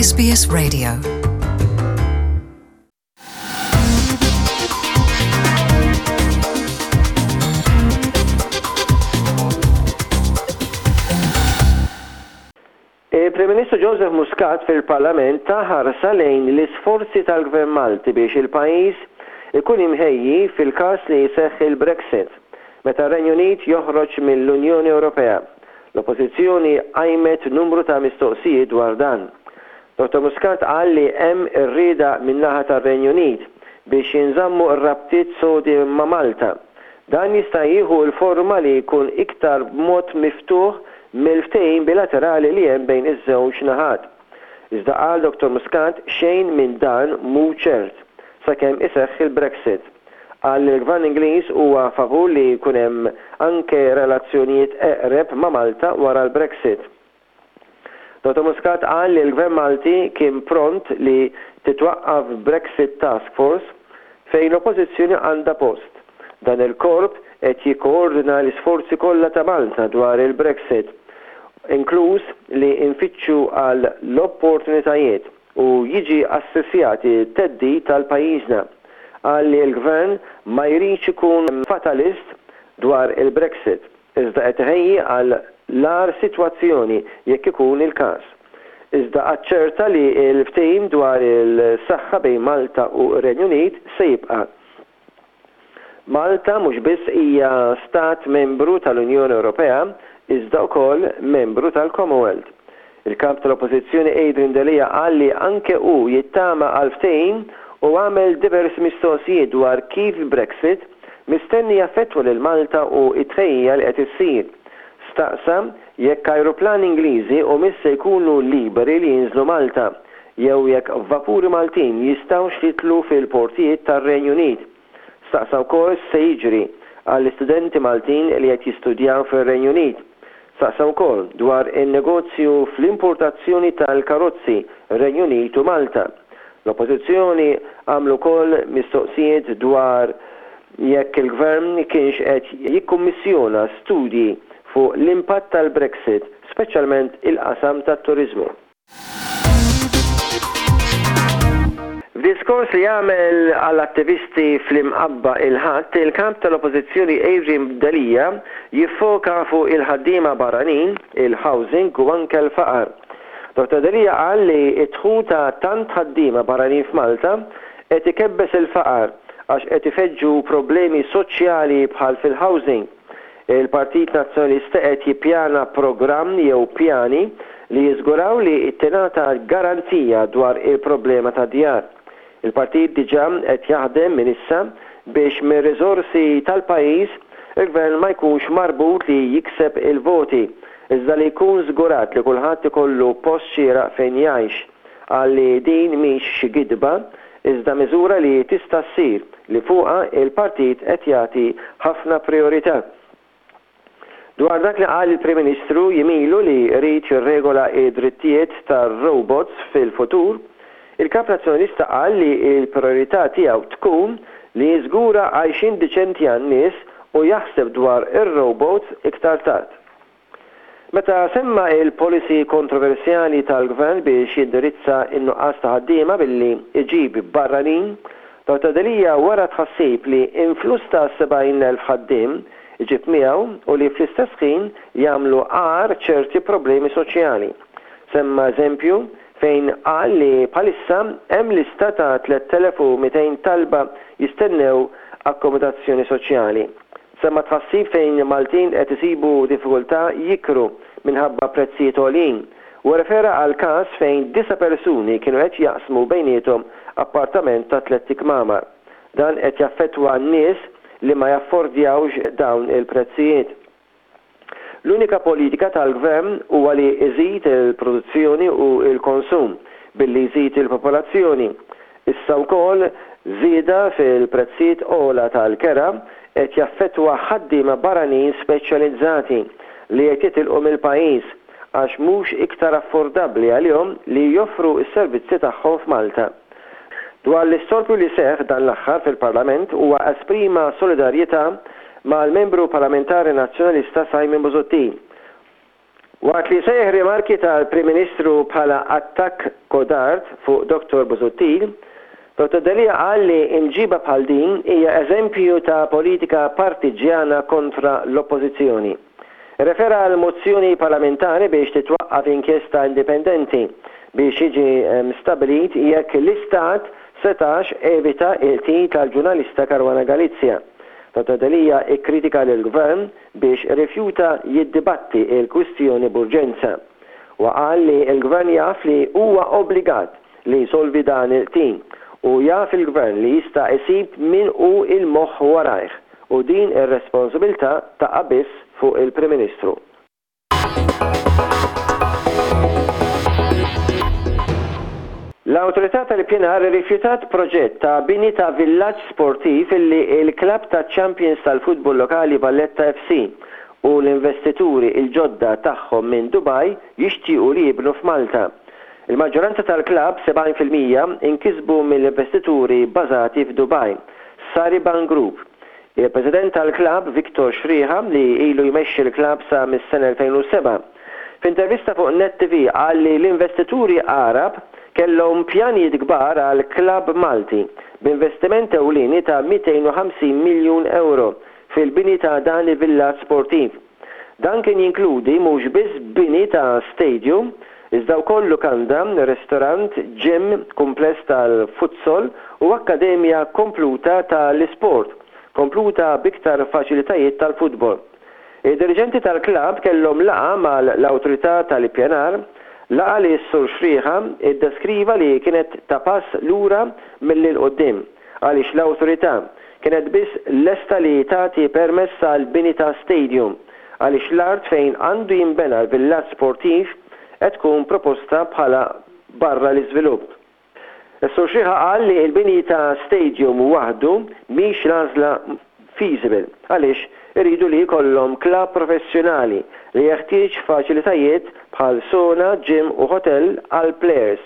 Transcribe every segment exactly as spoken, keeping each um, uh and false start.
S B S Radio. Il-Prim Ministru Joseph Muscat fil-Parlament ta ħarsa lejn l-isforzi tal-Gvern Malti biex il-pajjiż ikun imħejji fil-każ li jseħħ il-Brexit, meta r-Renju Unit joħroġ mill-Unjoni Ewropea. L-Oppożizzjoni qajmet numru ta' mistoqsijiet dwar dan. Dottor Muscat qal li hemm ir-rieda min-naħa tar-Renju Unit biex jinżammu r-rabtiet sodi ma' Malta. Dan jista' jieħu l-forma li jkun iktar b'mod miftuħ mill-ftehim bilaterali li hemm bejn iż-żewġ naħat. Iżda, qal Dottor Muscat, xejn minn dan mhu ċert sakemm iseħħ il-Brexit. Qal li l-Gvern Ingliż huwa favur li jkun hemm anke relazzjonijiet eqreb ma' Malta wara l-Brexit. Dottor Muscat qal li l-Gvern Malti kien pront li titwaqqaf Brexit Task Force fejn l-Oppożizzjoni għandha post. Dan il-korp qed jikkoordina l-isforzi kollha ta' Malta dwar il-Brexit, inkluż li nfittxu għal l-opportunitajiet u jiġi assessjati t-theddid tal-pajjiżna. Qal li l-Gvern ma jridx ikun fatalist dwar il-Brexit, iżda qed iħejji għal l-agħar sitwazzjoni jekk ikun il-każ. Iżda aċċerta li l-ftehim dwar il-saħħa bejn Malta u r-Renju Unit se jibqa'. Malta mhux biss hija stat membru tal-Unjoni Ewropea iżda wkoll membru tal-Commonwealth. Il-kap tal-Oppożizzjoni Adrian Delia qal li anke hu jittama għal ftehim u għamel diversi mistoqsijiet dwar kif Brexit mistenni jaffettwa lil Malta u t-tħejjija li qed issir. Staqsa jekk ajruplani Ingliżi humiex se jkunu liberi li jinżlu Malta jew jekk vapuri Maltin jistgħux jidħlu fil-portijiet tar-Renju Unit. Staqsa wkoll se jiġri għall-istudenti Maltin li qed jistudjaw fir-Renju Unit. Staqsa wkoll dwar in-negozju fl-importazzjoni tal-karozzi Renju Unit u Malta. L-Oppożizzjoni għamlu wkoll mistoqsijiet dwar jekk il-Gvern kienx qed jikkummissjona studji fuq l-impatt tal-Brexit, speċjalment il-qasam tat-turiżmu. F'diskors li għamel għall-attivisti fl-Imqabba il-Ħadd, il-Kap tal-Oppożizzjoni Adrian Delia jiffoka fuq il-ħaddiema barranin, il-housing u anke l-faqar. Dottor Delia qal li d-dħul ta' tant ħaddiema barranin f'Malta qed ikebbes il-faqar għax qed ifeġġu problemi soċjali bħal fil-housing. Il-Partit Nazzjonalista qed jippjana programm jew pjani li jiżguraw li tingħata garanzija dwar il-problema tad-djar. Il-partit diġà qed jaħdem minn issa biex mir-riżorsi tal-pajjiż il-Gvern ma jkunx marbut li jikseb il-voti, iżda li jkun żgurat li kulħadd ikollu post xieraq fejn jgħix. Qal li din mhix xi gidba, iżda miżura li tista' ssir li fuqha il-partit qed jagħti ħafna prijorità. Dwar dak li qal il-Prim Ministru jiem ilu li jrid jirregola d-drittijiet tar-robots fil-futur, il-Kap Nazzjonalista qal li l-prijorità tiegħu tkun li jiżgura għajxien diċenti għan-nies u jaħseb dwar ir-robots iktar tard. Meta semma l-policy kontroversjali tal-Gvern biex jindirizza n-nuqqas ta' ħaddiema billi jġib barranin, Dottor Delia wera tħassib li influss ta' sebgħin elf ħaddiem iġib miegħu u li fl-istess ħin jagħmlu agħar ċerti problemi soċjali. Semma eżempju fejn qal li bħalissa hemm lista ta' tliet elef u mitejn talba jistennew akkomodazzjoni soċjali. Semma tħassib fejn Maltin qed isibu diffikultà jikru minħabba prezzijiet għoljin u rrefera għal każ fejn disa' persuni kienu qed jaqsmu bejniethom appartament ta' tlett ikmamar. Dan qed jaffettwa nies li ma jaffordjawx dawn il-prezzijiet. L-unika politika tal-Gvern huwa li jżid il-produzzjoni u l-konsum billi jżid il-popolazzjoni. Issa wkoll żieda fil-prezzijiet ogħla tal-kera qed jaffettwa ħaddiema barranin speċjalizzati li qed jitilqu mill-pajjiż għax mhux iktar affordabbli għalihom li joffru s-servizzi tagħhom f'Malta. Dwar l-istorbju li seħħ dan l-aħħar fil-Parlament huwa esprima solidarjetà mal-Membru Parlamentari Nazzjonalista Simon Busuttil. Waqt li sejjaħ rimarki tal-Prim Ministru bħala attakk kodard fuq Dottor Busuttil, Dottor Delia qal li imġiba bħal din hija eżempju ta' politika partiġjana kontra l-Oppożizzjoni. Refera għal mozzjoni parlamentari biex titwaqqaf inkjesta indipendenti biex jiġi stabbilit jekk l-Istat setax evita il-qtil tal-ġurnalista Caruana Galizia. Dottor Delia ikkritika lill-Gvern biex rifjuta jiddibatti il-kwistjoni b'urġenza. Wa qal li l-Gvern jaf li huwa obbligat li jsolvi dan il-qtil u jaf il-Gvern li jista' isib min hu il-moħħ warajh u din ir-responsabilità taqa' biss fuq il-Prim Ministru. L-Awtorità tal-Ippjanar rifjutat proġett ta' bini ta' villaġġ sportiv illi il-klabb ta' Champions tal-futbol lokali Valletta F C u l-investituri il-ġodda tagħhom minn Dubai jixtiequ li jibnu f'Malta. Il-maġġoranza tal-klabb, sebgħin fil-mija, inkisbu mill-investituri bażati f'Dubai, Sariban Group. Il-President tal-klabb Victor Sciriha, li ilu jmexxi l-klabb sa mis-sena elfejn u sebgħa, f'intervista fuq Net T V qal li l-investituri Arab kellhom pjanijiet kbar għal klabb Malti b'investiment ewlieni ta' mitejn u ħamsin miljun euro fil-bini ta' dan il-villaġġ sportiv. Dan kien jinkludi mhux biss bini ta' stadium, iżda wkoll lukanda, restorant, gym, kumpless tal-futsal u akkademja kompluta tal-isport, kompluta biktar faċilitajiet tal-futbol. Id-dirigenti tal-klab kellhom laqgħa mal-Awtorità tal-Ippjanar, laqgħa li s-Sur Sciriha iddeskriva li kienet ta' pass lura milli 'l quddiem għaliex l-awtorità kienet biss lesta li tagħti permess għal bini ta' stadium għaliex l-art fejn għandu jinbena l-villaġġ sportiv qed tkun proposta bħala barra l-iżvilupp. Is-Sur Sciriha qal li l-bini ta' stadium waħdu mhix l-għażla feasible għaliex iridu li jkollhom klabb professjonali li jeħtieġ faċilitajiet bħal sauna, gym u hotel għal players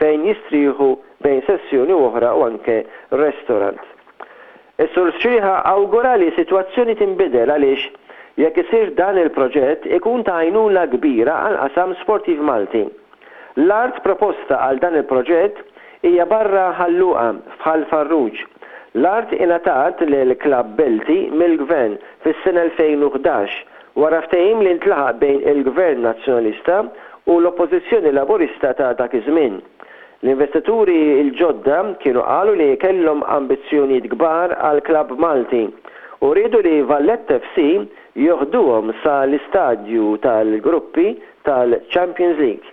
fejn jistrieħu bejn sessjoni oħra u anke restaurant. Is-Sur Sciriha awgura li situazzjoni tinbidel għaliex jekk isir dan il-proġett ikun ta' għajnuna kbira għal qasam sportiv Malti. L-art proposta għal dan il-proġett hija barra Ħal Luqa f'Ħal Farruġ. L-art ingħatat lil Klabb Belti mill-Gvern fis-sena elfejn u ħdax wara ftehim li ntlaħaq bejn il-Gvern Nazzjonalista u l-Oppożizzjoni Laburista ta' dak iż-żmien. L-investituri l-ġodda kienu qalu li kellhom ambizzjonijiet kbar għal klabb Malti u riedu li Valletta F C joħduhom sa l-istadju tal-gruppi tal-Champions League.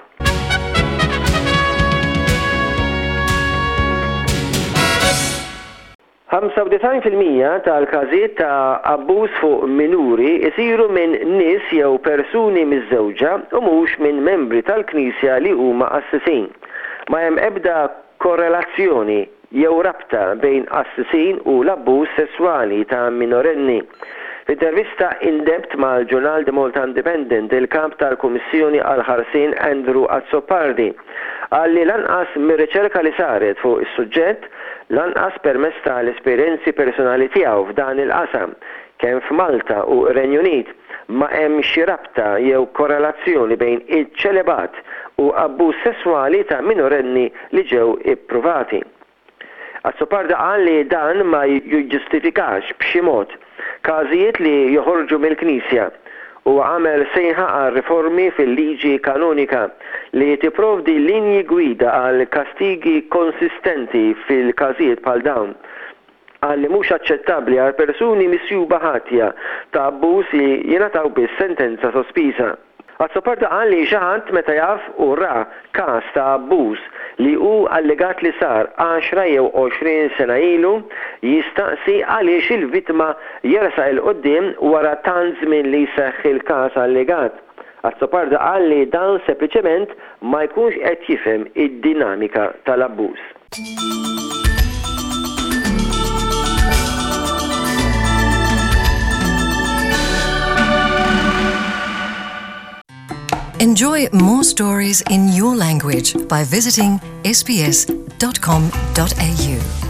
ħamsa u disgħin fil-mija tal-każijiet ta' abbuż fuq minuri isiru minn nies jew persuni miżżewġa u mhux minn membri tal-Knisja li huma qassisin. Ma hemm ebda korrelazzjoni jew rabta bejn qassisin u l-abbuż sesswali ta' minorenni. F'intervista in-depth mal-ġurnal The Malta Independent, il-kap tal-Kummissjoni għal-Ħarsien Andrew Azzopardi qal li lanqas mir-riċerka li saret fuq is-suġġett, lanqas permezz tal-esperjenzi personali tiegħu f'dan il-qasam, kemm f'Malta u Renju Unit, ma hemm xi rabta jew korrelazzjoni bejn iċ-ċelibat u abbuż sesswali ta' minorenni li ġew ippruvati. Azzopardi qal li dan ma jiġġustifikax b'xi mod każijiet li joħorġu mill-Knisja u għamel sejħa għal riformi fil-liġi kanonika li tipprovdi linji gwida għal kastigi konsistenti fil-każijiet bħal dawn. Qal li mhux aċċettabbli għal persuni misjuba ħatja ta' abbuż li jingħataw biss sentenza sospiża. Azzopardi qal li xi ħadd meta jaf u ra każ ta' abbuż li hu allegat li sar għaxra jew għoxrin sena ilu, jistaqsi għaliex il-vittma jersaq 'il quddiem wara tant żmien li jseħħ il-każ allegat. Azzopardi qal li dan sempliċement ma jkunx qed jifhem id-dinamika tal-abbuż. Enjoy more stories in your language by visiting S B S dot com dot A U.